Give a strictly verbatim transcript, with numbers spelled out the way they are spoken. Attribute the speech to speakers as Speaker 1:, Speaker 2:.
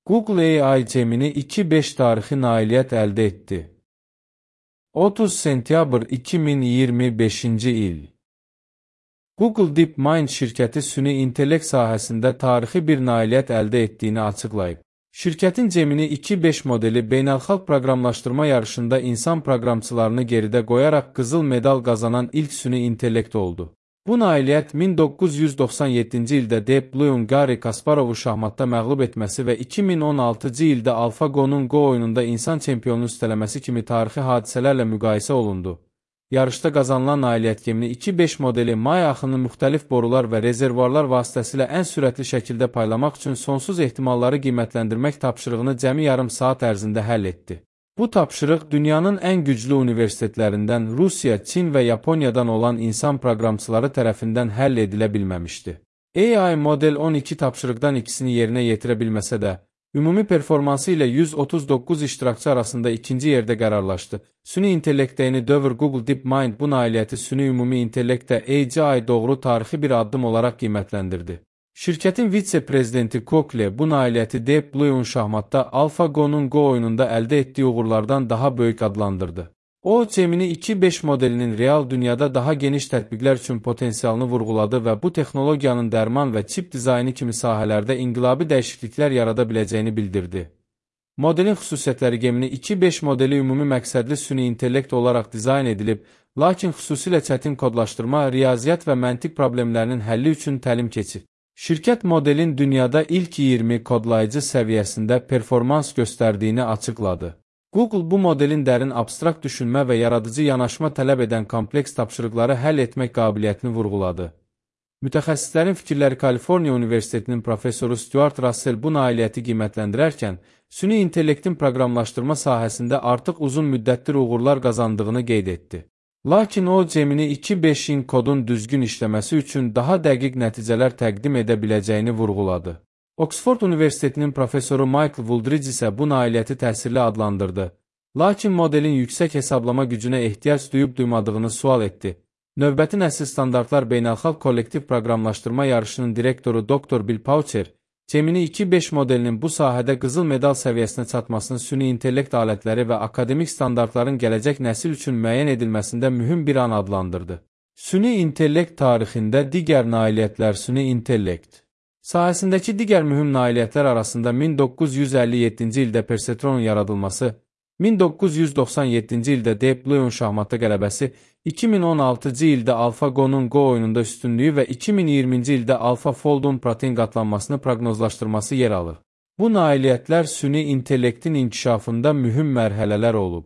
Speaker 1: Google A I Gemini iki nöqtə beş tarixi nailiyyət əldə etdi. otuz sentyabr iki min iyirmi beşinci il. Google DeepMind şirkəti süni intellekt sahəsində tarixi bir nailiyyət əldə etdiyini açıqlayıb. Şirkətin Gemini iki nöqtə beş modeli beynəlxalq proqramlaşdırma yarışında insan proqramçılarını geridə qoyaraq qızıl medal qazanan ilk süni intellekt oldu. Bu nailiyyət min doqquz yüz doxsan yeddinci ildə Deep Blue'un Garri Kasparovu şahmatda məğlub etməsi və iki min on altıncı ildə AlphaGo'nun Go oyununda insan çempionunu üstələməsi kimi tarixi hadisələrlə müqayisə olundu. Yarışda qazanılan nailiyyət Gemini iki nöqtə beş modeli may axını müxtəlif borular və rezervuarlar vasitəsilə ən sürətli şəkildə paylamaq üçün sonsuz ehtimalları qiymətləndirmək tapşırığını cəmi yarım saat ərzində həll etdi. Bu tapşırıq dünyanın ən güclü universitetlərindən Rusiya, Çin və Yaponiyadan olan insan proqramçıları tərəfindən həll edilə bilməmişdi. A I model on iki tapşırıqdan ikisini yerinə yetirə bilməsə də, ümumi performansı ilə yüz otuz doqquz iştirakçı arasında ikinci yerdə qərarlaşdı. Süni intellektdə yeni dövr Google DeepMind bu nailiyyəti süni ümumi intellektdə A I doğru tarixi bir addım olaraq qiymətləndirdi. Şirkətin vitse-prezidenti Kokle bu nailiyyəti Deep Blue'un şahmatda AlphaGo'nun Go oyununda əldə etdiyi uğurlardan daha böyük adlandırdı. O, Gemini iki nöqtə beş modelinin real dünyada daha geniş tətbiqlər üçün potensialını vurğuladı və bu texnologiyanın dərman və çip dizaynı kimi sahələrdə inqilabi dəyişikliklər yarada biləcəyini bildirdi. Modelin xüsusiyyətləri Gemini iki nöqtə beş modeli ümumi məqsədli süni intellekt olaraq dizayn edilib, lakin xüsusilə çətin kodlaşdırma, riyaziyyat və məntiq problemlərinin həlli üçün təlim keçir. Şirkət modelin dünyada ilk iyirmi kodlayıcı səviyyəsində performans göstərdiyini açıqladı. Google bu modelin dərin abstrakt düşünmə və yaradıcı yanaşma tələb edən kompleks tapşırıqları həll etmək qabiliyyətini vurğuladı. Mütəxəssislərin fikirləri Kaliforniya Universitetinin professoru Stuart Russell bu nailiyyəti qiymətləndirərkən, süni intellektin proqramlaşdırma sahəsində artıq uzun müddətdir uğurlar qazandığını qeyd etdi. Lakin o, Gemini iki nöqtə beşin kodun düzgün işləməsi üçün daha dəqiq nəticələr təqdim edə biləcəyini vurğuladı. Oxford Universitetinin professoru Michael Wooldridge isə bu nailiyyəti təsirli adlandırdı. Lakin modelin yüksək hesablama gücünə ehtiyac duyub-duymadığını sual etdi. Növbəti nəsil standartlar beynəlxalq kollektiv proqramlaşdırma yarışının direktoru doktor Bill Paucher, Gemini iki nöqtə beş modelinin bu sahədə qızıl medal səviyyəsinə çatmasının süni intellekt alətləri və akademik standartların gələcək nəsil üçün müəyyən edilməsində mühüm bir an adlandırdı. Süni intellekt tarixində digər nailiyyətlər Süni intellekt sahəsindəki digər mühüm nailiyyətlər arasında min doqquz yüz əlli yeddinci ildə Perceptronun yaradılması, min doqquz yüz doxsan yeddinci ildə Deep Blue'un şahmatda qələbəsi, iki min on altıncı ildə AlphaGo'nun Go oyununda üstünlüyü və iki min iyirminci ildə AlphaFold'un protein qatlanmasını proqnozlaşdırması yer alır. Bu nailiyyətlər süni intellektin inkişafında mühüm mərhələlər olub.